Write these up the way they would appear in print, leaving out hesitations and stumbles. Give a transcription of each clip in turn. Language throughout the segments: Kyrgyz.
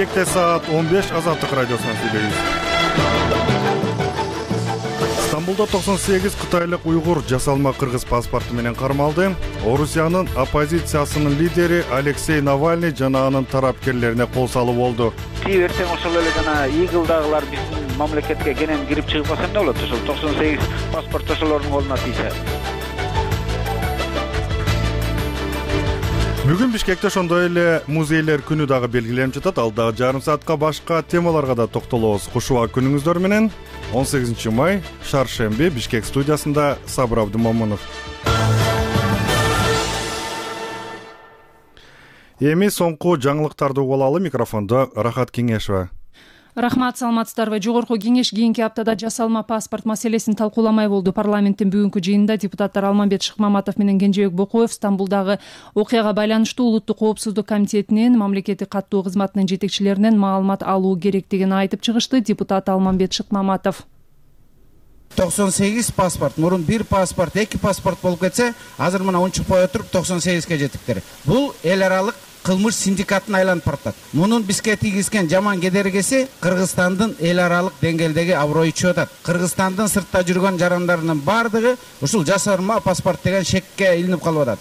Бишкекте саат 15 Азаттык радиосунан сүйлөйбүз. Стамбулда 98 кытайлык уйгур жасалма кыргыз паспорту менен кармалды. Орусиянын оппозициясынын лидери Алексей Навальный жана анын тарапкерлерине кол салуу болду. Эртең ошол эле жана игылдагылар биздин мамлекетке кенен кирип чыгып калса эмне болот? Ошол 98 паспорт ошолордун колуна тийсе. Бүгүн Бишкекте ошондой эле музейлер күнү дагы белгиленип жатат. Ал дагы жарым саатка башка темаларга да токтолобуз. Кушуба күнүңүздөр менен 18 май шаршемби Бишкек студиясында Сабыр Абдымомунов. Эми соңку жаңылыктарды угуп алалы. Микрофондо Рахат Кеңешова. Рахмат, саламатсыздарбы? Жогорку кеңеш кийинки аптада жасалма паспорт маселесин талкууламай болду. Парламенттин бүгүнкү жыйынында депутаттар Алмамбет Шыкмаматов менен Кенжебек Бокоев Стамбулдагы окуяга байланыштуу Улуттук коопсуздук комитетинин мамлекеттик каттоо кызматынын жетекчилеринен маалымат алуу керектигин айтып чыгышты. Депутат Алмамбет Шыкмаматов 98 паспорт, мурун бир паспорт, эки паспорт болуп кетсе, азыр мына унчукпай отуруп 98ге жетиптир. Бул эл аралык кылмыш синдикатына айланып баратат. Мунун бизге тийгизген жаман кедергиси Кыргызстандын эл аралык деңгээлдеги аброю чыгып атат. Кыргызстандын сыртта жүргөн жарандарынын бардыгы ушул жасырма паспорт деген шекке илинип калып атат,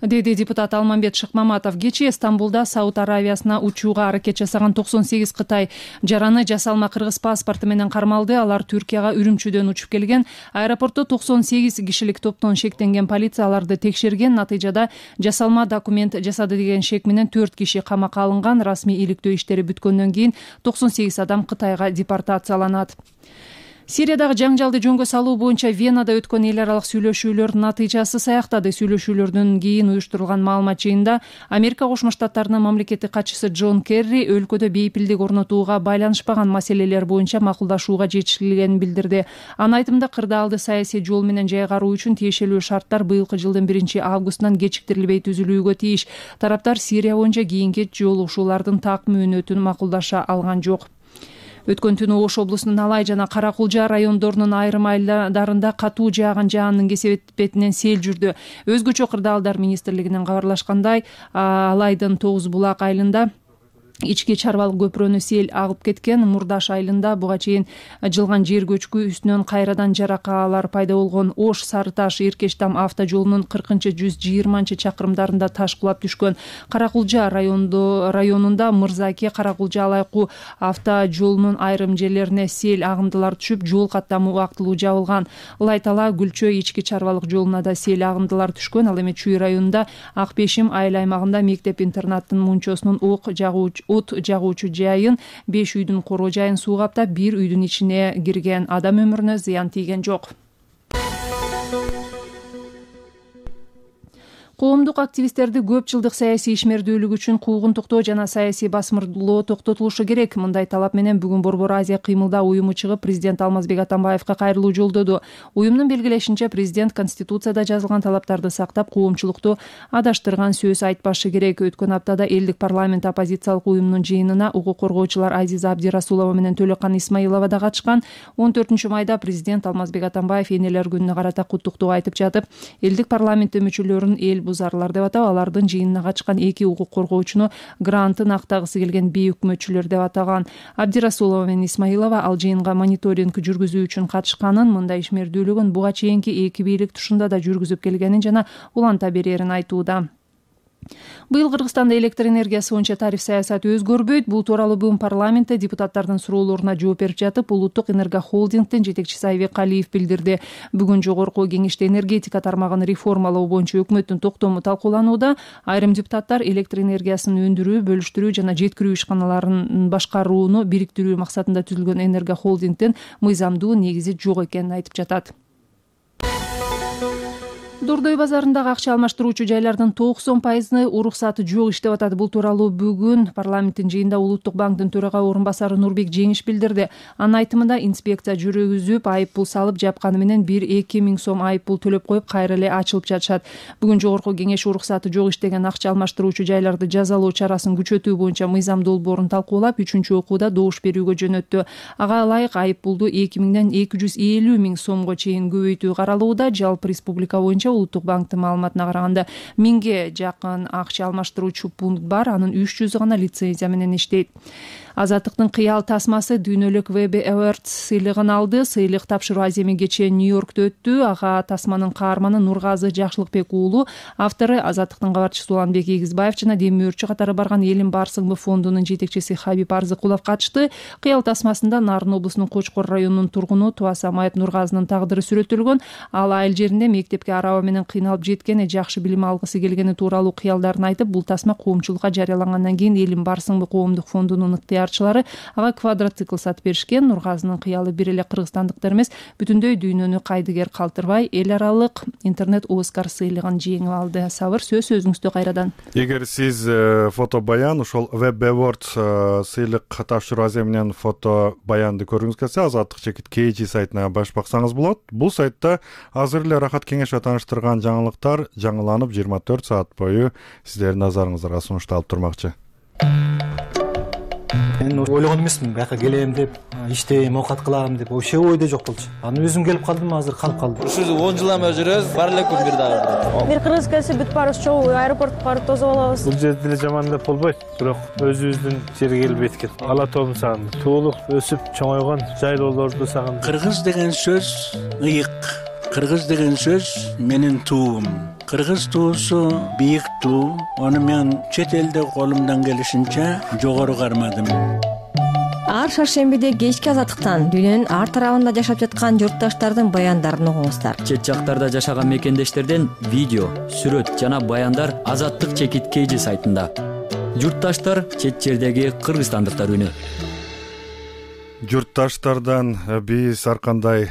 деди депутат Алмамбет Шыкмаматов. Кечээ Стамбулда Сауд Аравиясына учууга аракет жасаган 98 Кытай жараны жасалма кыргыз паспорту менен кармалды. Алар Түркияга Үрүмчүдөн учуп келген. Аэропортто 98 кишилик топтон шектенген полиция аларды текшерген. Натыйжада жасалма документ жасады деген шек менен 4 киши камакка алынган. Расмий иликтөө иштери бүткөндөн кийин 98 адам Кытайга депортацияланат. Сириядагы жаңжалды жөнгө салуу боюнча Венада өткөн эл аралык сүйлөшүүлөр натыйжасы саяктады. Сүйлөшүүлөрдөн кийин уюштурулган маалымат жыйынында Америка Кошмо Штаттарынын мамлекеттик катчысы Джон Керри өлкөдө бейпилдик орнотууга байланышпаган маселелер боюнча макулдашууга жетишилгенин билдирди. Анын айтымында кырдаалды саясий жол менен жайгаруу үчүн тиешелүү шарттар быйылкы жылдын 1-августунан кечиктирилбей түзүлүүгө тийиш. Тараптар Сирия боюнча кийинки жолугушуулардын так мөөнөтүн макулдаша алган жок. Өткөн түнү Ош облусунун Алай жана Каракулжа райондорунун айрым айылдарында катуу жааган жаандын кесепетинен сел жүрдү. Өзгөчө кырдаалдар министрлигинин кабарлашкандай, Алайдын Тогуз Булак айылында ички чарбалык көпүрөнү сел агып кеткен. Мурдаш айылында буга чейин жылган жер көчкү үстүнөн кайрадан жаракаалар пайда болгон. Ош Сары Таш Эркештам автожолунун 40-120 чакырымдарында таш кулап түшкөн. Каракулжа районунда Мырзаке Каракулжа Алайку автожолунун айрым жерлерине сел агымдылар түшүп, жол каттамы убактылуу жабылган. Лайтала Гүлчө ички чарбалык жолуна да сел агымдылар түшкөн. Ал эми Чүй районунда Ак Бешим айыл аймагында мектеп-интернаттын мунчосунун от жагуучу жайын 5 үйдүн короо жайын суу каптап, 1 үйдүн ичине кирген. Адам өмүрүнө зыян тийген жок. Коомдук активисттерди көп жылдык саясий ишмердүүлүк үчүн куугунтуктоо жана саясий басмырлоо токтотулушу керек. Мындай талап менен бүгүн Борбор Азия кыймылдаа уюму чыгып, президент Алмазбек Атамбаевка кайрылуу жолдоду. Уюмдун белгилешинче, президент Конституцияда жазылган талаптарды сактап, коомчулукту адаштырган сөз айтпашы керек. Өткөн аптада элдик парламент оппозициялык уюмунун жыйынына укук коргоочулар Азиза Абдирасулова менен Төлөкан Исмаилова да катышкан. 14 майда президент Алмазбек Атамбаев энелер күнүнө карата куттуктоо айтып жатып, элдик парламенттин мүчөлөрүн эл бузарлар деп атап, алардын жыйынына катышкан 2 укук коргоочуну грантын актагысы келген бейөкмөтчүлөр деп атаган. Абдирасулова менен Исмаилова ал жыйынга мониторинг жүргүзүү үчүн катышканын, мындай ишмердүүлүгүн буга чейинки 2 бийлик тушунда да жүргүзүп келгенин жана уланта берерин айтууда. Быйыл Кыргызстанда электр энергиясы боюнча тариф саясаты өзгөрбөйт. Бул тууралуу бүгүн парламентте депутаттардын суроолоруна жооп берип жатып, Улуттук энергохолдингдин жетекчиси Айбек Калиев билдирди. Бүгүн жогорку кеңеште энергетика тармагын реформалоо боюнча өкмөттүн токтому талкууланууда. Айрым депутаттар электр энергиясын өндүрүү, бөлүштүрүү жана жеткирүү ишканаларын башкарууну бириктирүү максатында түзүлгөн энергохолдингдин мыйзамдуу негизи жок экенин айтып жатат. Дордой базарындагы акча алмаштыруучу жайлардын 90% уруксаты жок иштеп атат. Бул тууралуу бүгүн парламенттин жыйынында Улуттук банктын төрага орун басары Нурбек Жеңиш билдирди. Анын айтымында инспекция жүргүзүп, айып пул салып жапканы менен 1-2 миң сом айып пул төлөп коюп, кайра эле ачылып жатышат. Бүгүн жогорку кеңеш уруксаты жок иштеген акча алмаштыруучу жайларды жазалоо чарасын күчөтүү боюнча мыйзам долбоорун талкуулап, 3-окууда добуш берүүгө жөнөттү. Ага ылайык айып пулду 2 миңден 250 миң сомго чейин көбөйтүү каралууда. Жалпы республика боюнча Улуттук банктын маалыматына караганда 1000ге жакын акча алмаштыруучу пункт бар, анын 300 гана лицензия менен иштейт. Азаттыктын кыял тасмасы дүйнөлүк Webby Awards сыйлыгын алды. Сыйлык тапшыруу аземи кечээ Нью-Йоркто өттү. Ага тасманын каарманы Нургазы Жакшылыкбек уулу, автору Азаттыктын кабарчысы Уланбек Игизбаев жана демий өртчү катары барган Элим Барсыңбы фондунун жетекчиси Хабиб Арзыкулов катышты. Кыял тасмасында Нарын облусунун Кочкор районунун тургуну Туасамаев Нургазынын тагдыры сүрөтүлгөн. Ал айыл жеринде мектепке араба менен кыйналып жеткени, жакшы билим алгысы келгени тууралуу кыялдарын айтып, бул тасма коомчулукка жарыялангандан кийин Элим Барсыңбы коомдук фондунун ага квадроцикл сатып беришкен. Нургазынын кыялы бир эле кыргызстандыктар эмес, бүтүндөй дүйнөнү кайдыгер калтырбай эл аралык интернет Оскар сыйлыгын жеңип алды. Сабыр, сөз өзүңүздө кайрадан. Эгер сиз фото баян ошол Webby Awards сыйлык тапшыруу аземинен фото баянды көргүңүз келсе, Азаттык чекит KG сайтына баш баксаңыз болот. Бул сайтта азыр эле Рахат Кеңешов тааныштырган жаңылыктар жаңыланып 24 саат бою сиздердин назарыңыздарга сунушталып турмакчы. Мен ойлогон эмесмин, бияка келем деп, иштейм, оокат кылам деп, вообще ойдо жок болчу. Анан өзүм келип калдым, азыр калып калдым. Ушул 10 жылдан бери жүрөбүз, бар эле күн бир дагы. Бир кыргыз келсе бүт барыбыз чогуу аэропортко барып тосуп алабыз. Бул жерде деле жаман деп болбойт, бирок өзүбүздүн жерге келип эткил. Ала тообун сагындым. Туулуп, өсүп, чоңойгон жайлоолорду сагындым. Кыргыз деген сөз ыйык. Кыргыз деген сөз менин туум. Кыргыз туусу бийик туу. Аны мен чет элде колумдан келишинче жогору кармадым. Ар шаршембиде кечки Азаттыктан дүйнөнүн ар тарабында жашап жаткан журтташтардын баяндарын угуңуздар. Чет жактарда жашаган мекендештерден видео, сүрөт жана баяндар Азаттык чекит KG сайтында. Журтташтар чет жердеги кыргызстандыктар үнү. Журтташтардан биз ар кандай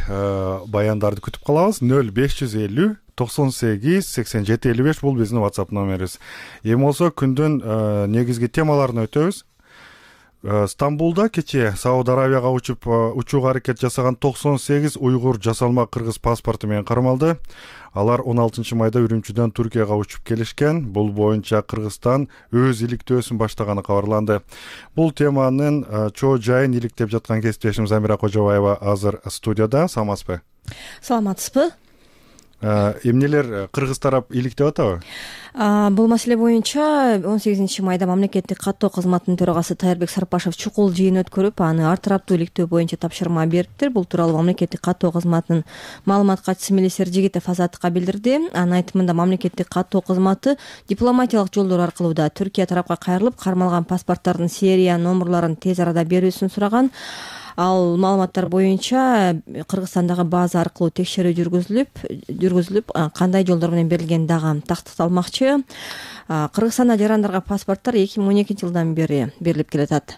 баяндарды күтүп калабыз. 0550 98 87 55 бул биздин WhatsApp номерибиз. Эми болсо күндүн негизги темаларын өтөбүз. Стамбулда кечээ Сауд Арабияга учууга аракет жасаган 98 уйгур жасалма кыргыз паспорту менен кармалды. Алар 16 майда Үрүмчүдөн Түркияга учуп келишкен. Бул боюнча Кыргызстан өз иликтөөсүн баштаганы кабарланды. Бул теманын чоо жайын иликтеп жаткан кесиптешим Замира Кожобаева азыр студияда. Саламатсызбы? Саламатсызбы? Эмнелер кыргыз тарап иликтеп атабы? Бул маселе боюнча 18 майда мамлекеттик каттоо кызматынын төрагасы Тайырбек Сарпашев чукул жыйын өткөрүп, аны ар тараптуу иликтөө боюнча тапшырма бериптир. Бул тууралуу мамлекеттик каттоо кызматынын маалымат катчысы Мелисер Жигитов Азаттыкка билдирди. Анын айтымында мамлекеттик каттоо кызматы дипломатиялык жолдор аркылуу да Түркия тарапка кайрылып, кармалган паспорттардын серия номерлорун тез арада берүүсүн сураган. Ал маалыматтар боюнча Кыргызстандагы база аркылуу текшерүү жүргүзүлүп, кандай жолдор менен берилгени дагы тактыкталмакчы. Кыргызстанда жарандарга паспорттор 2012 жылдан бери берилип келатат.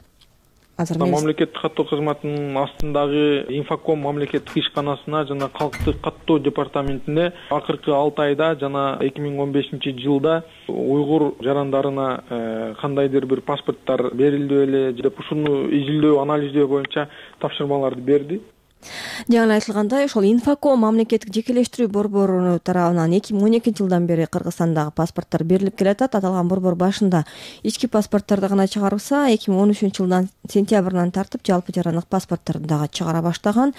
Мамлекеттик каттоо кызматынын астындагы Инфоком мамлекеттик ишканасына жана калктык каттоо департаментине акыркы 6 айда жана 2015 жылда уйгур жарандарына кандайдыр бир паспорттор берилди беле деп ушуну изилдөө, анализдөө боюнча тапшырмаларды берди. Жаңы айтылгандай, ошол Инфоком мамлекеттик жекелештирүү борбору тарабынан 2012 жылдан бери Кыргызстандагы паспорттор берилип келатат. Аталган борбор башында ички паспортторду гана чыгарса, 2013 жылдан сентябрынан тартып жалпы жарандык паспортторду дагы чыгара баштаган.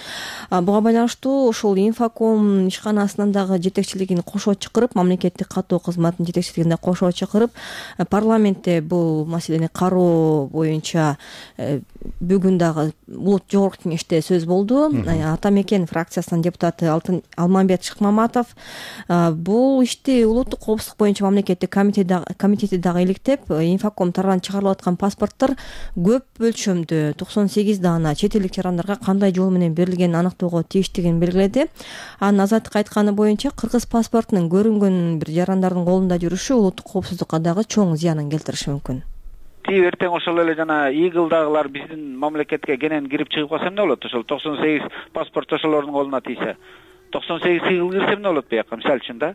Буга байланыштуу ошол Инфоком ишканасынын дагы жетекчилигин кошо чакырып, мамлекеттик каттоо кызматынын жетекчилигин кошо чакырып, парламентте бул маселени кароо боюнча бүгүн дагы улут жогорку кеңеште сөз болду. Ата мекен фракциясынын депутаты Алмамбет Шыкмаматов бул ишти улуттук коопсуздук боюнча мамлекеттик комитети дагы иликтеп, Инфоком тарабынан чыгарылып аткан паспорттор көп өлчөмдө 98 дана чет элдик жарандарга кандай жол менен берилгенин аныктоого тийиштигин белгиледи. Анын Азаттык айтканы боюнча кыргыз паспортунун көрүнгөн бир жарандардын колунда жүрүшү улуттук коопсуздукка дагы чоң зыянын келтириши мүмкүн. Эртең ошол эле жана Игылдагылар биздин мамлекетке кенен кирип чыгып калса эмне болот? Ошол 98 паспорт ошолордун колуна тийсе. 98 Игыл кирсе эмне болот буяка, мисалы үчүн да?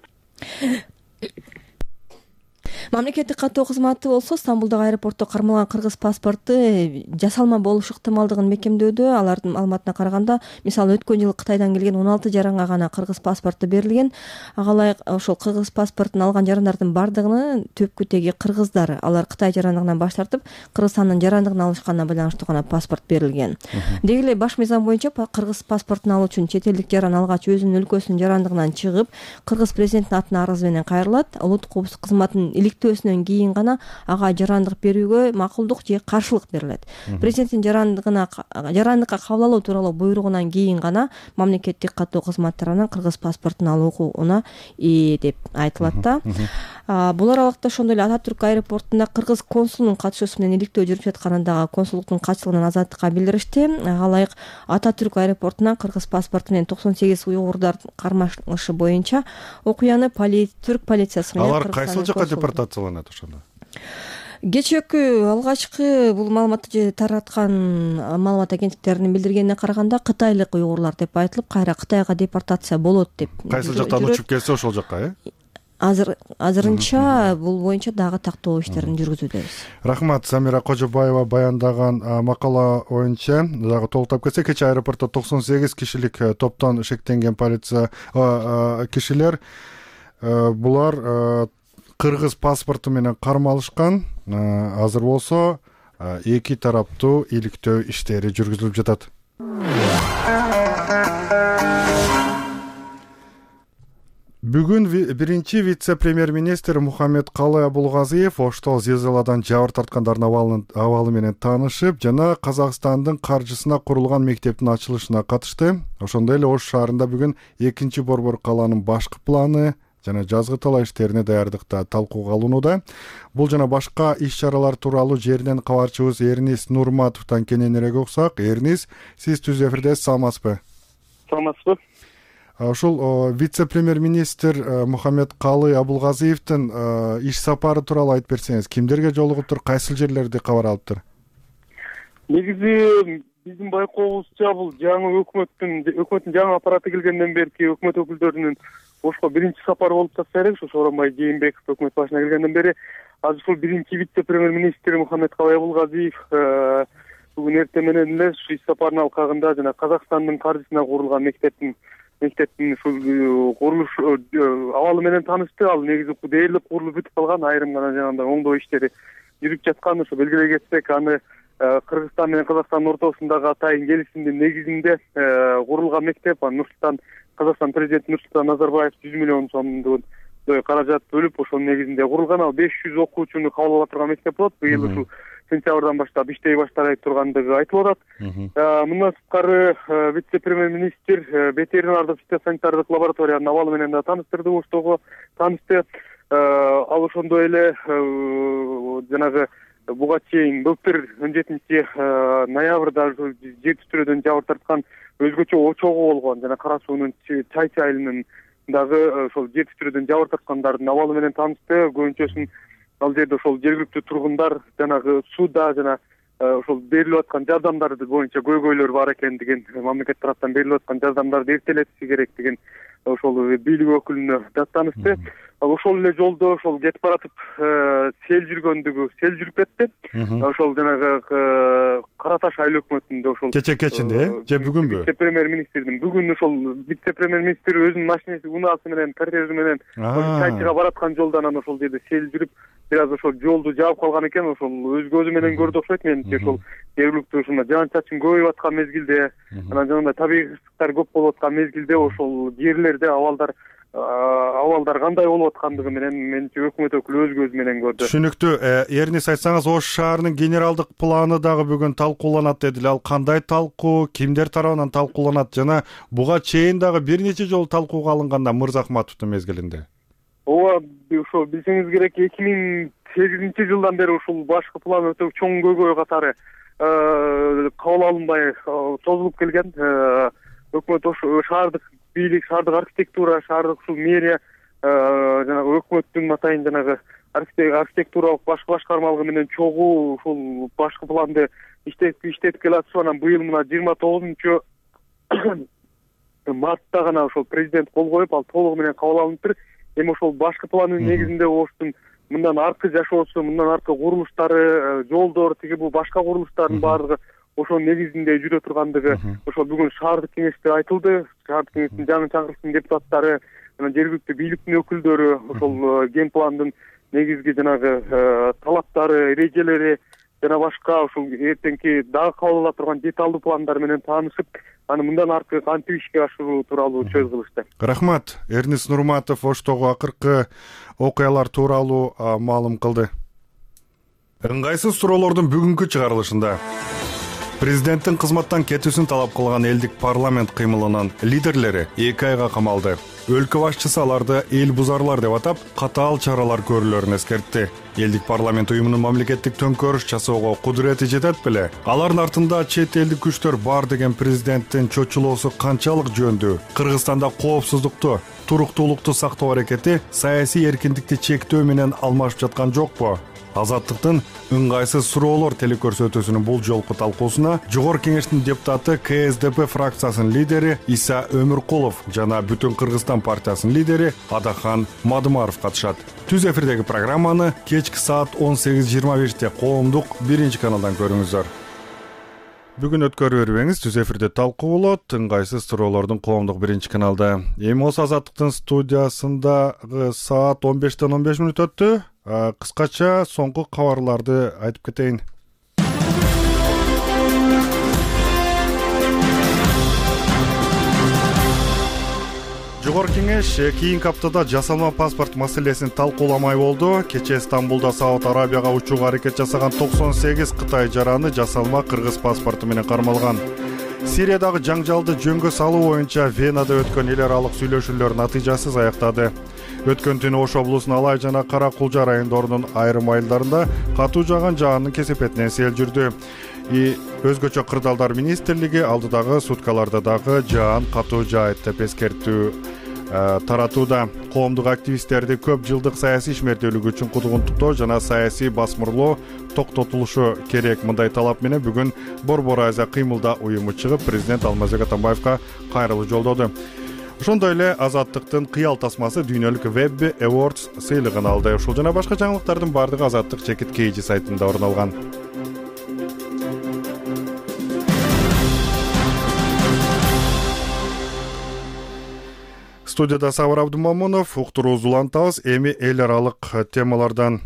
Мамлекеттик каттоо кызматы болсо Стамбулдагы аэропортто кармалган кыргыз паспорту жасалма болуш ыктымалдыгын мекемдөөдө. Алардын маалыматына караганда, мисалы өткөн жылы Кытайдан келген 16 жаранга гана кыргыз паспорту берилген. Ага ылайык ошол кыргыз паспортун алган жарандардын бардыгынын түпкү теги кыргыздар. Алар Кытай жарандыгынан баш тартып, Кыргызстандын жарандыгын алышканына байланыштуу гана паспорт берилген. Деги эле баш мыйзам боюнча кыргыз паспортун алуу үчүн чет элдик жаран алгач өзүнүн өлкөсүнүн жарандыгынан чыгып, кыргыз президентинин атына арыз менен кайрылат. Улуттук коопсуздук кызматынын иликтөөсүнөн кийин гана ага жарандык берүүгө макулдук же каршылык берилет. Президенттин жарандыкка кабыл алуу тууралуу буйругунан кийин гана мамлекеттик каттоо кызматы тарабынан кыргыз паспортун алуу укугуна ээ деп айтылат да. Бул аралыкта ошондой эле Ататүрк аэропортунда кыргыз консулунун катышуусу менен иликтөө жүрүп жатканын дагы консулдуктун катчылыгынан Азаттыкка билдиришти. Ага ылайык Ататүрк аэропортунан кыргыз паспорту менен 98 уйгурдар кармалышы боюнча окуяны түрк полициясы менен алар кайсыл жакка депортацияланат ошондо? Кечээкү алгачкы бул маалыматты же тараткан маалымат агенттиктеринин билдиргенине караганда кытайлык уйгурлар деп айтылып, кайра Кытайга депортация болот деп. Кайсыл жактан учуп келсе ошол жакка, Азырынча бул боюнча дагы тактоо иштерин жүргүзүүдөбүз. Рахмат. Самира Кожобаева баяндаган макала боюнча дагы толуктап кетсек, кечээ аэропортто 98 кишилик топтон шектенген полиция кишилер булар кыргыз паспорту менен кармалышкан. Азыр болсо эки тараптуу иликтөө иштери жүргүзүлүп жатат. Бүгүн биринчи вице-премьер-министр Мухаммед Калый Абулгазиев Оштол зилзаладан жабыр тарткандардын абалы менен таанышып, жана Казакстандын каржысына курулган мектептин ачылышына катышты. Ошондой эле Ош шаарында бүгүн 2-борбор калаанын башкы планы жана жазгы талаа иштерине даярдыкта талкууга алынууда. Бул жана башка иш-чаралар тууралуу жерден кабарчыбыз Эрнис Нурматовдон кененирээк уксак. Эрнис, сиз түз эфирде саламатсызбы? Саламатсызбы. Ошол вице-премьер-министр Мухаммед Калый Абулгазиевдин иш сапары тууралуу айтып берсеңиз, кимдерге жолугуптур, кайсыл жерлерди кабар алыптыр? Негизи биздин байкообузча бул жаңы өкмөттүн жаңы аппараты келгенден берки өкмөт өкүлдөрүнүн Ошко биринчи сапары болуп жатса керек. Сооронбай Жээнбеков өкмөт башына келгенден бери азыр ушул биринчи вице-премьер-министр Мухаммед Калый Абулгазиев бүгүн эртең менен эле ушу иш сапарынын алкагында жана Казакстандын каржысына курулган мектептин ушул курулуш абалы менен таанышты. Ал негизи дээрлик курулуп бүтүп калган, айрым гана жанагындай оңдоо иштери жүрүп жаткан. Ошо белгилей кетсек, аны Кыргызстан менен Казакстандын ортосундагы атайын келишимдин негизинде курулган мектеп. Казакстан президенти Нурсултан Назарбаев 100 миллион сомдой каражат бөлүп, ошонун негизинде курулган. Ал 500 окуучуну кабыл ала турган мектеп болот. Быйыл ушул сентябрдан баштап иштей баштай тургандыгы айтылып атат. Мындан сырткары вице-премьер-министр ветеринардык фитосанитардык лабораториянын абалы менен да тааныштырды, Оштого таанышты. Ал ошондой эле жанагы буга чейин былтыр 17 ноябрда жер титирөөдөн жабыр тарткан өзгөчө очогу болгон жана Кара суунун Чайчы айылынын дагы ошол жер титирөөдөн жабыр тарткандардын абалы менен таанышты. Көбүнчөсүн ал жерде ошол жергиликтүү тургундар жанагы сууда жана ошол берилип аткан жардамдар боюнча көйгөйлөр бар экендигин, мамлекет тараптан берилип аткан жардамдарды эртелетиши керек деген ошол бийлик өкүлүнө даттанышты. Ал ошол эле жолдо ошол кетип баратып сел жүрүп кетти. Ошол жанагы Кара Таш айыл өкмөтүндө ошол кечинде же бүгүнбү? Вице-премьер-министрдин бүгүн ошол вице-премьер-министр өзүнүн машинеси, унаасы менен, кортежи менен Чайчыга бараткан жолдон анан ошол жерде сел жүрүп, бир аз ошол жолду жаап калган экен. Ошол өз көзү менен көрдү окшойт. Менимче ошол жергиликтүү ушундай жаан-чачын көбөйүп аткан мезгилде, анан жанагындай табигый кырсыктар көп болуп аткан мезгилде ошол жерлерде абалдар кандай болуп аткандыгы менен менимче өкмөт өкүлү өз көзү менен көрдү. Түшүнүктүү. Эрнис, айтсаңыз, Ош шаарынын генералдык планы дагы бүгүн талкууланат дедиле. Ал кандай талкуу, кимдер тарабынан талкууланат жана буга чейин дагы бир нече жолу талкууга алынганда Мырзахматовдун мезгилинде? Ооба, ошо билсеңиз керек, 2008-жылдан бери ушул башкы план өтө чоң көйгөй катары кабыл алынбай созулуп келген. Өкмөт шаардык бийлик, шаардык архитектура, шаардык ушул мэрия жанагы өкмөттүн атайын жанагы архитектуралык башкы башкармалыгы менен чогуу ушул башкы планды иштетип келатышып, анан быйыл мына 29 мартта гана ошол президент кол коюп, ал толугу менен кабыл алыныптыр. Эми ошол башкы пландын негизинде Оштун мындан аркы жашоосу, мындан аркы курулуштары, жолдор, тиги бул башка курулуштардын баардыгы ошонун негизинде жүрө тургандыгы ошо бүгүн шаардык кеңеште айтылды. Шаардык кеңештин жаңы чакырылган депутаттары жана жергиликтүү бийликтин өкүлдөрү ошол ген пландын негизги жанагы талаптары, эрежелери жана башка ушул эртеңки дагы кабыл ала турган деталдуу пландар менен таанышып, аны мындан аркы кантип ишке ашыруу тууралуу сөз кылышты. Рахмат. Эрнис Нурматов Оштогу акыркы окуялар тууралуу маалым кылды. Ыңгайсыз суроолордун бүгүнкү чыгарылышында президенттин кызматтан кетүүсүн талап кылган элдик парламент кыймылынын лидерлери 2 айга камалды. Өлкө башчысы аларды эл бузарлар деп атап, катаал чаралар көрүлөрүн эскертти. Элдик парламент уюмунун мамлекеттик төңкөрүш жасоого кудурети жетет беле? Алардын артында чет элдик күчтөр бар деген президенттин чочулоосу канчалык жөндүү? Кыргызстанда коопсуздукту, туруктуулукту сактоо аракети саясий эркиндикти чектөө менен алмашып жаткан жокпу? Азаттыктын ыңгайсыз суроолор телекөрсөтүүсүнүн бул жолку талкуусуна Жогорку кеңештин депутаты КСДП фракциясынын лидери Иса Өмүркулов жана Бүтүн Кыргызстан партиясынын лидери Адахан Мадымаров катышат. Түз эфирдеги программаны кечки саат 18:25 коомдук 1-каналдан көрүңүздөр. Бүгүн өткөрүп бербеңиз, түз эфирде талкуу болот. Ыңгайсыз суроолордун коомдук 1-каналда. Эми болсо Азаттыктын студиясындагы саат 15:15 өттү. Кыскача соңку кабарларды айтып кетейин. Жогорку кеңеш кийинки аптада жасалма паспорт маселесин талкууламай болду. Кечээ Стамбулда Сауд Арабияга учууга аракет жасаган 98 Кытай жараны жасалма кыргыз паспорту менен кармалган. Сириядагы жаңжалды жөнгө салуу боюнча Венада өткөн эл аралык сүйлөшүүлөр натыйжасыз аяктады. Өткөн түнү Ош облусунун Алай жана Кара Кулжа райондорунун айрым айылдарында катуу жааган жаандын кесепетинен сел жүрдү. Өзгөчө Кырдаалдар министрлиги алдыдагы суткаларда дагы жаан катуу жаайт деп эскертүү таратууда. Коомдук активисттерди көп жылдык саясий ишмердүүлүгү үчүн кудугунтуктоо жана саясий басмырлоо токтотулушу керек. Мындай талап менен бүгүн Борбор Азия кыймылда уюму чыгып, президент Алмазбек Атамбаевка кайрылуу жолдоду. Ошондой эле Азаттыктын кыял тасмасы дүйнөлүк Web Awards сыйлыгын алды. Ушул жана башка жаңылыктардын бардыгы Азаттык чекит KG сайтында орун алган. Студияда Сабыр Абдумамунов, уктуруубузду улантабыз. Эми эл аралык темалардан.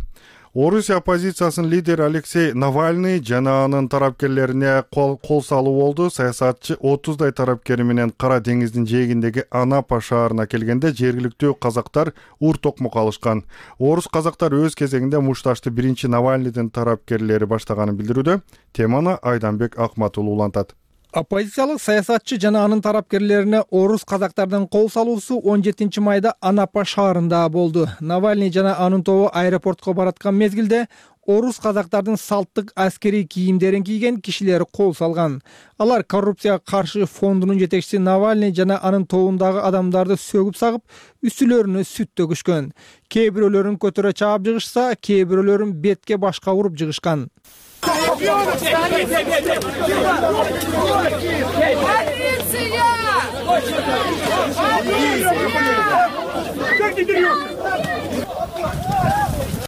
Орусия оппозициясынын лидери Алексей Навальный жана анын тарапкерлерине кол салуу болду. Саясатчы 30дай тарапкери менен Кара деңиздин жээгиндеги Анапа шаарына келгенде жергиликтүү казактар ур-токмок алышкан. Орус казактар өз кезегинде мушташты биринчи Навальныйдын тарапкерлери баштаганын билдирүүдө. Теманы Айданбек Акматулу улантат. Оппозициялык саясатчы жана анын тарапкерлерине орус казактардын кол салуусу 17 майда Анапа шаарында болду. Навальный жана анын тобу аэропортко бараткан мезгилде орус казактардын салттык аскерий кийимдерин кийген кишилер кол салган. Алар коррупцияга каршы фондунун жетекчиси Навальный жана анын тобундагы адамдарды сөгүп сагып, үстүлөрүнө сүт төгүшкөн. Кээ бирөөлөрүн көтөрө чаап жыгышса, кээ бирөөлөрүн бетке башка уруп жыгышкан.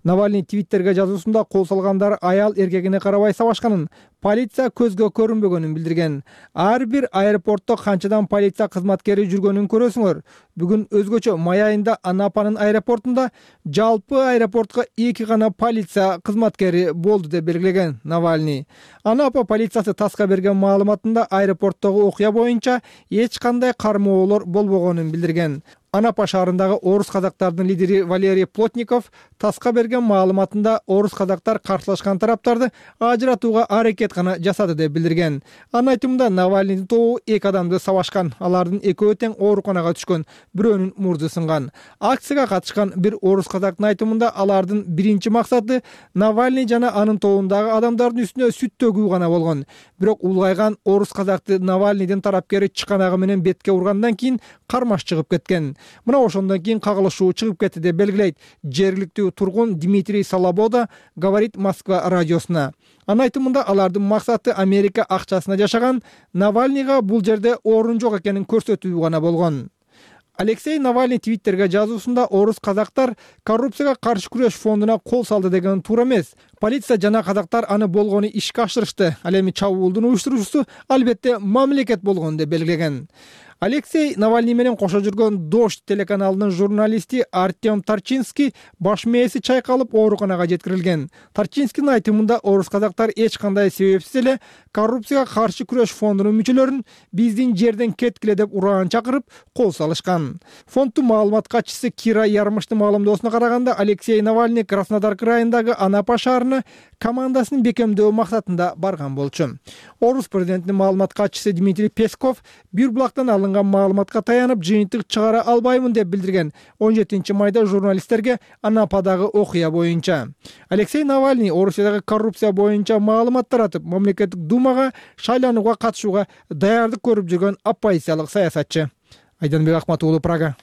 Навальный твиттерге жазуусунда кол салгандар аял эркегине карабай сабашканын, полиция көзгө көрүнбөгөнүн билдирген. Ар бир аэропортто канчадан полиция кызматкери жүргөнүн көрөсүңөр. Бүгүн өзгөчө май айында Анапанын аэропортунда жалпы аэропортко 2 гана полиция кызматкери болду деп белгилеген Навальный. Анапа полициясы таска берген маалыматында аэропорттогу окуя боюнча эч кандай кармоолор болбогонун билдирген. Анапа шаарындагы орус казактардын лидери Валерий Плотников таска берген маалыматында орус казактар каршылашкан тараптарды ажыратууга аракет гана жасады деп билдирген. Анын айтымында Навальныйдын тобу 2 адамды сабашкан, алардын экөө тең ооруканага түшкөн, бирөөнүн мурду сынган. Акцияга катышкан бир орус казактын айтымында алардын биринчи максаты Навальный жана анын тобундагы адамдардын үстүнө сүт төгүү гана болгон. Бирок улгайган орус казакты Навальныйдын тарапкери чыканагы менен бетке ургандан кийин кармаш чыгып кеткен. Мына ошондон кийин кагылышуу чыгып кетти деп белгилейт жергиликтүү тургун Дмитрий Салабода «Говорит Москва» радиосуна. Анын айтымында алардын максаты Америка акчасына жашаган Навальныйга бул жерде орун жок экенин көрсөтүү гана болгон. Алексей Навальный твиттерге жазуусунда орус казактар коррупцияга каршы күрөш фондуна кол салды деген туура эмес. Полиция жана казактар аны болгону ишке ашырышты. Ал эми чабуулдун уюштуруучусу албетте мамлекет болгону деп белгилеген. Алексей Навальный менен кошо жүргөн Дождь телеканалынын журналисти Артем Тарчинский баш мээси чайкалып ооруканага жеткирилген. Тарчинскийдин айтымында орус казактар эч кандай себепсиз эле коррупцияга каршы күрөш фондунун мүчөлөрүн биздин жерден кеткиле деп ураан чакырып кол салышкан. Фонддун маалымат катчысы Кира Ярмыштын маалымдоосуна караганда, Алексей Навальный Краснодар крайындагы Анапа шаарына командасын бекемдөө максатында барган болчу. Орус президентинин маалымат катчысы Дмитрий Песков бир булактан алынган маалыматка таянып жыйынтык чыгара албаймын деп билдирген 17 майда журналисттерге Анападагы окуя боюнча. Алексей Навальный Орусиядагы коррупция боюнча маалымат таратып, мамлекеттик думага шайланууга катышууга даярдык көрүп жүргөн оппозициялык саясатчы. Айданбек Акмат уулу, Прага.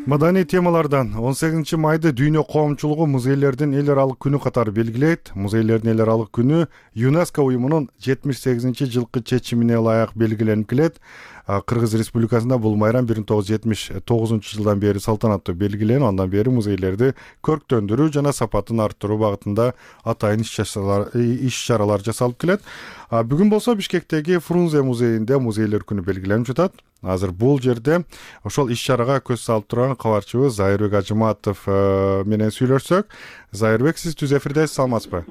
Маданий темалардан 18 майды Дүйнө коомчулугу музейлердин эл аралык күнү катары белгилейт. Музейлердин эл аралык күнү ЮНЕСКО уюмунун 78-жылкы чечимине ылайык белгиленип келет. Кыргыз Республикасында бул майрам 1979-жылдан бери салтанаттуу белгиленип, андан бери музейлерди көрктөндүрүү жана сапатын арттыруу багытында атайын иш чаралар жасалып келет. Бүгүн болсо Бишкектеги Фрунзе музейинде музейлер күнү белгиленип жатат. Азыр бул жерде ошол иш чарага көз салып турган кабарчыбыз Зайырбек Ажыматов менен сүйлөшсөк. Зайырбек, сиз түз эфирдесиз, саламатсызбы?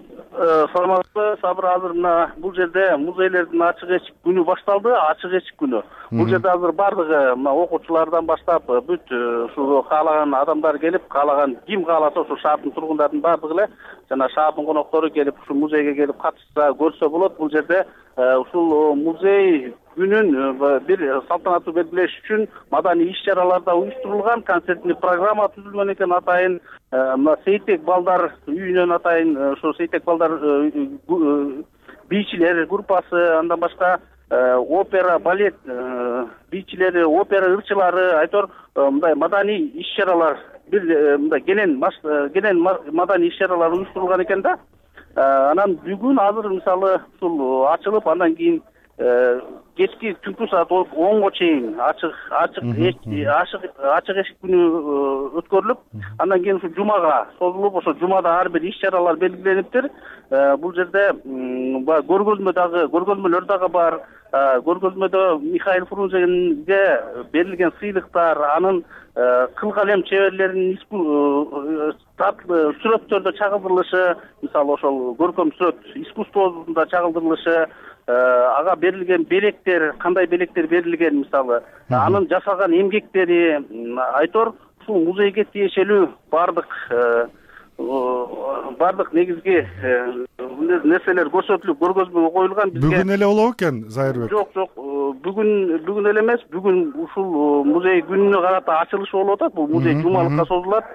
Саламатсызбы, Сабыр. Азыр мына бул жерде музейлердин ачык эшик күнү башталды, ачык эшик күнү. Бул жерде азыр бардыгы мына окуучулардан баштап бүт ушу каалаган адамдар келип, каалаган ким кааласа ушу шаардын тургундардын бардыгы эле жана шаардын коноктору келип ушу музейге келип катышса, көрсө болот. Бул жерде ушул музей күнүн бир салтанаттуу белгилеш үчүн маданий иш чаралар да уюштурулган, концертный программа түзүлгөн экен. Атайын мына Сейтек балдар үйүнөн атайын ошо Сейтек балдар бийчилер группасы, андан башка опера, балет бийчилери, опера ырчылары, айтор мындай маданий иш чаралар, бир мындай кенен маданий иш чаралар уюштурулган экен да. Анан бүгүн азыр мисалы ушул ачылып, андан кийин кечки түнкү саат 10го чейин ачык эшик күнү өткөрүлүп, андан кийин ушу жумага созулуп, ошо жумада ар бир иш чаралар белгилениптир. Бул жерде көргөзмөлөр дагы бар. Көргөзмөдө Михаил Фрунзеге берилген сыйлыктар, анын кыл калем чеберлеринин сүрөттөрдө чагылдырылышы, мисалы ошол көркөм сүрөт искусствосунда чагылдырылышы, ага берилген белектер, кандай белектер берилген, мисалы анын жасаган эмгектери, айтор ушул музейге тиешелүү бардык негизги нерселер көрсөтүлүп, көргөзмөгө коюлган. Бүгүн эле болобу экен, Зайырбек? Жок, бүгүн эле эмес, бүгүн ушул музей күнүнө карата ачылышы болуп атат. Бул музей жумалыкка созулат.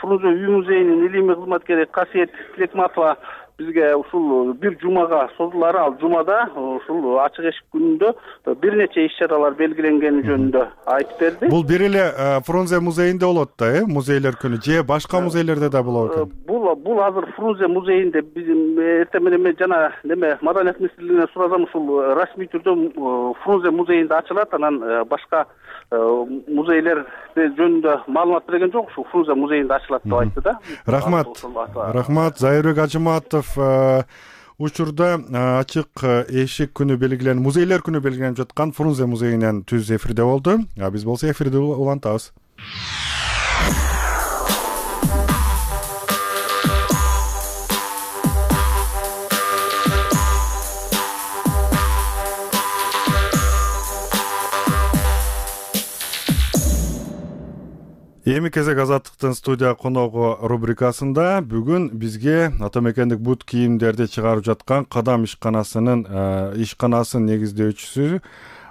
Фрунзе үй музейинин илимий кызматкери Касиет Тилекматова бизге ушул бир жумага созулары, ал жумада ушул ачык эшик күнүндө бир нече иш чаралар белгиленгени жөнүндө айтып берди. Бул бир эле Фрунзе музейинде болот да, музейлер күнү же башка музейлерде да болот экен? Бул азыр Фрунзе музейинде эртең менен жана Маданият министрлигине сурасам, ушул расмий түрдө Фрунзе музейинде ачылат. Анан башка музейлер жөнүндө маалымат берген жок, ушу Фрунзе музейинде ачылат деп айтты да. Рахмат. Зайырбек Ажыматов учурда ачык эшик күнү белгиленип, музейлер күнү белгиленип жаткан Фрунзе музейинен түз эфирде болду. Биз болсо эфирди улантабыз. Эми кезек Азаттыктын студия коногу рубрикасында бүгүн бизге ата мекендик бут кийимдерди чыгарып жаткан Кадам ишканасынын негиздөөчүсү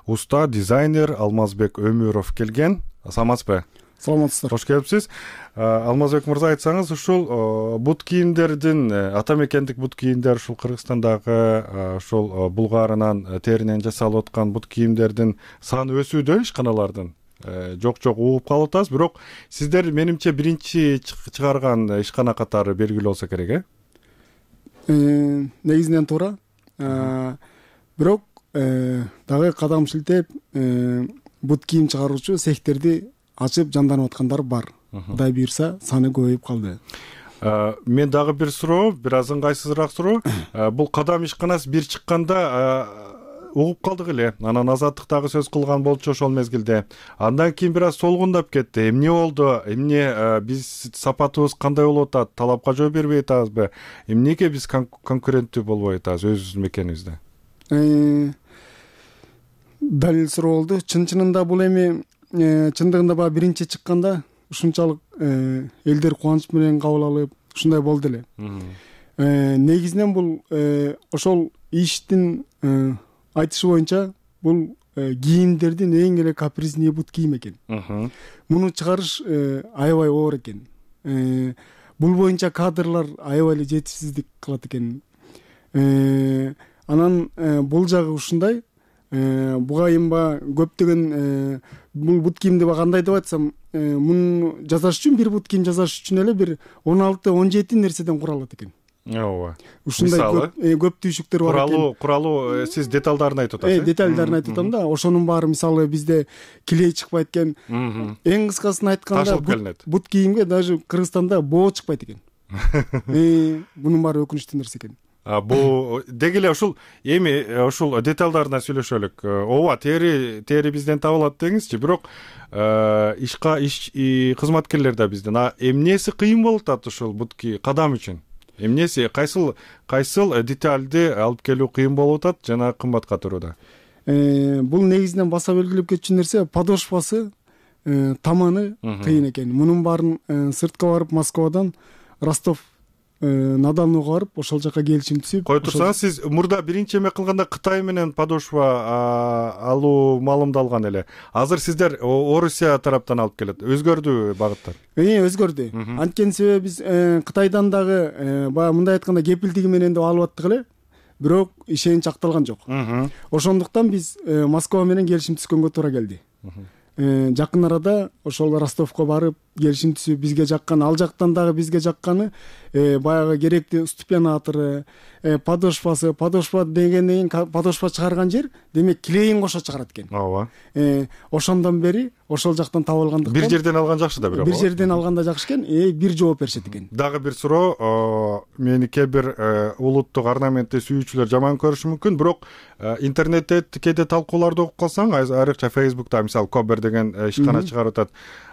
уста дизайнер Алмазбек Өмүров келген. Саламатсызбы? Саламатсыздар. Кош келипсиз. Алмазбек мырза, айтсаңыз, ушул бут кийимдердин, ата мекендик бут кийимдер, ушул Кыргызстандагы ушул булгарынан, теринен жасалып аткан бут кийимдердин саны өсүүдө ишканалардын. Жок угуп калып атабыз, бирок сиздер менимче биринчи чыгарган ишкана катары белгилүү болсо керек, Негизинен туура. Бирок дагы кадам шилтеп бут кийим чыгаруучу цехтерди ачып жанданып аткандар бар. Кудай буйрса саны көбөйүп калды. Мен дагы бир суроо, бир аз ыңгайсызыраак суроо. Бул кадам ишканасы бир чыкканда угуп калдык эле. Анан Азаттык дагы сөз кылган болчу ошол мезгилде. Андан кийин бир аз солгундап кетти. Эмне болду? Эмне биз сапатыбыз кандай болуп атат? Талапка жооп бербей атабызбы? Эмнеге биз конкуренттүү болбой атабыз өзүбүздүн мекенибизде? Далил суроо болду. Чын-чынында бул эми чындыгында баягы биринчи чыкканда ушунчалык элдер кубаныч менен кабыл алып ушундай болду эле. Негизинен бул ошол иштин айтышы боюнча бул кийимдердин эң эле капризнее бут кийим экен. Муну чыгарыш аябай оор экен. Бул боюнча кадрлар аябай эле жетишсиздик кылат экен. Анан бул жагы ушундай. Буга эми көптөгөн бул бут кийимди кандай деп айтсам, муну жасаш үчүн бир бут кийим жасаш үчүн эле бир 16-17 нерседен куралат экен. Ооба. Ушундай көп түйшүктөр бар экен. Куралуу сиз деталдарын айтып атасыз. Деталдарын айтып атам да. Ошонун баары мисалы бизде клей чыкпайт экен. Эң кыскасын айтканда бут кийимге даже Кыргызстанда боо чыкпайт экен. Мунун баары өкүнүчтүү нерсе экен. Бул деги эле ушул эми ушул деталдарына сүйлөшөлүк. Ооба, тери бизден табылат деңизчи, бирок кызматкерлер да бизден. Эмнеси кыйын болуп атат ушул бут кадам үчүн? Эмнеси кайсыл деталди алып келүү кыйын болуп атат жана кымбатка туруда? Бул негизинен баса белгилеп кетчү нерсе подошвасы, таманы кыйын экен. Мунун баарын сыртка барып Москвадан Ростов Надалнуга барып ошол жака келишим түзүп. Кой турсаңыз, сиз мурда биринчи эме кылганда Кытай менен подошва алуу маалымдалган эле. Азыр сиздер Орусия тараптан алып келет. Өзгөрдү багыттар? Өзгөрдү. Анткени себеби биз Кытайдан дагы баягы мындай айтканда кепилдиги менен деп алып аттык эле. Бирок ишенич акталган жок. Ошондуктан биз Москва менен келишим түзгөнгө туура келди. Жакын арада ошол Ростовко барып келишим түзүп бизге жаккан, ал жактан дагы бизге жакканы баягы керектүү ступенатору, подошва дегенден кийин подошва чыгарган жер демек клейин кошо чыгарат экен. Ооба. Ошондон бери ошол жактан таап алгандыктан бир жерден алган жакшы да, бирок. Бир жерден алганда жакшы экен, бир жооп беришет экен. Дагы бир суроо, мени кээ бир улуттук орнаментти сүйүүчүлөр жаман көрүшү мүмкүн, бирок интернетте кээде талкууларды окуп калсаң, айрыкча Facebook'та мисалы Кобер деген ишкана чыгарып атат.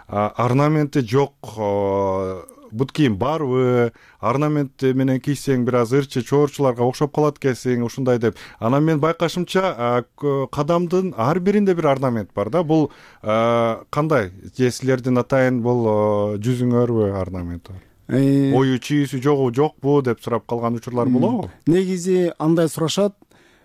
Орнаменти жок, бут кийим барбы, орнамент менен кийсең бир аз ырчы чоорчуларга окшоп калат экенсиң, ушундай деп. Анан мен байкашымча кадамдын ар биринде бир орнамент бар да. Бул кандай? Же силердин атайын бул жүзүңөрбү орнамент бар? Ою чийүүсү жокпу деп сурап калган учурлар болобу? Негизи андай сурашат.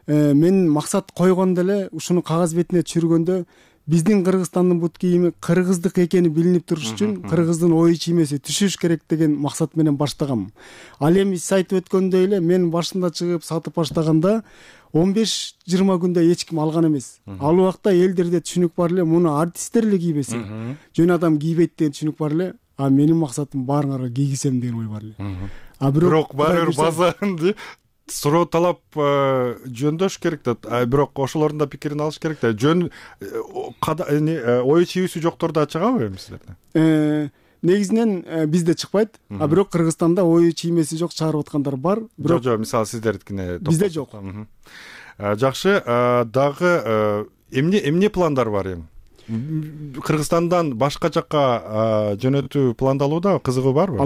Мен максат койгондо эле ушуну кагаз бетине түшүргөндө биздин Кыргызстандын бут кийими кыргыздык экени билинип туруш үчүн кыргыздын ою чиймеси түшүш керек деген максат менен баштагам. Ал эми сиз айтып өткөндөй эле мен башында чыгып сатып баштаганда 15-20 күндө эч ким алган эмес. Ал убакта элдерде түшүнүк бар эле, муну артисттер эле кийбесе, жөн адам кийбейт деген түшүнүк бар эле. Менин максатым баарыңарга кийгизем деген ой бар эле. Бирок баары бир базанды суроо талап жөндөш керек да, бирок ошолордун да пикирин алыш керек да. Жөн ою чийүүсү жоктор да чыгабы эми силерде? Негизинен бизде чыкпайт, бирок Кыргызстанда ою чиймеси жок чыгарып аткандар бар. Жок, мисалы сиздердикине бизде жок. Жакшы, дагы эмне пландар бар эми? Кыргызстандан башка жакка жөнөтүү пландалууда, кызыгы барбы?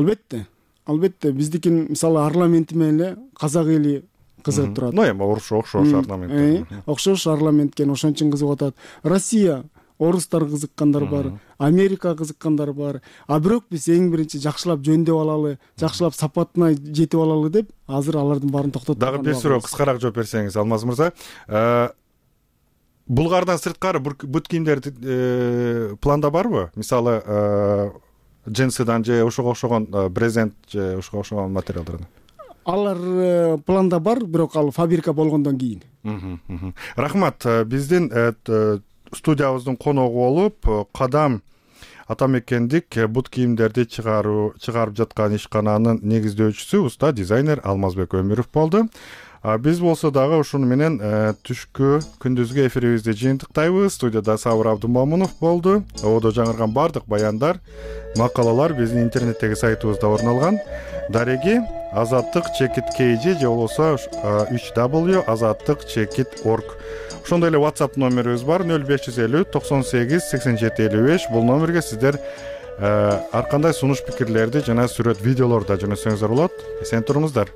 Албетте, биздикин мисалы орнаменти менен эле казак эли кызыгып турат. Эми окшош орнамент. Окшош орнамент экен, ошон үчүн кызыгып атат. Россия, орустар кызыккандар бар, Америка кызыккандар бар. Бирок биз эң биринчи жакшылап жөндөп алалы, жакшылап сапатына жетип алалы деп, азыр алардын баарын токтотуп. Дагы бир суроо кыскараак жооп берсеңиз, Алмаз мырза. Булгардан сырткары бут кийимдер планда барбы? Мисалы джинсыдан же ошого окшогон брезент же ошого окшогон материалдардан? Алар планда бар, бирок ал фабрика болгондон кийин. Рахмат. Биздин студиябыздын коногу болуп, Кадам атамекендик бут кийимдерди чыгарып жаткан ишкананын негиздөөчүсү уста дизайнер Алмазбек Өмүров болду. Биз болсо дагы ушуну менен түшкү күндүзгү эфирибизди жыйынтыктайбыз. Студияда Сабыр Абдымомунов болду. Ободо жаңырган бардык баяндар, макалалар биздин интернеттеги сайтыбызда орун алган. Дареги azattik.kg же болбосо 3w@azattik.org. Ошондой эле WhatsApp номерибиз бар 0550 98 87 55. Бул номерге сиздер ар кандай сунуш пикирлерди жана сүрөт видеолорду да жөнөтсөңүздөр болот. Эсен туруңуздар.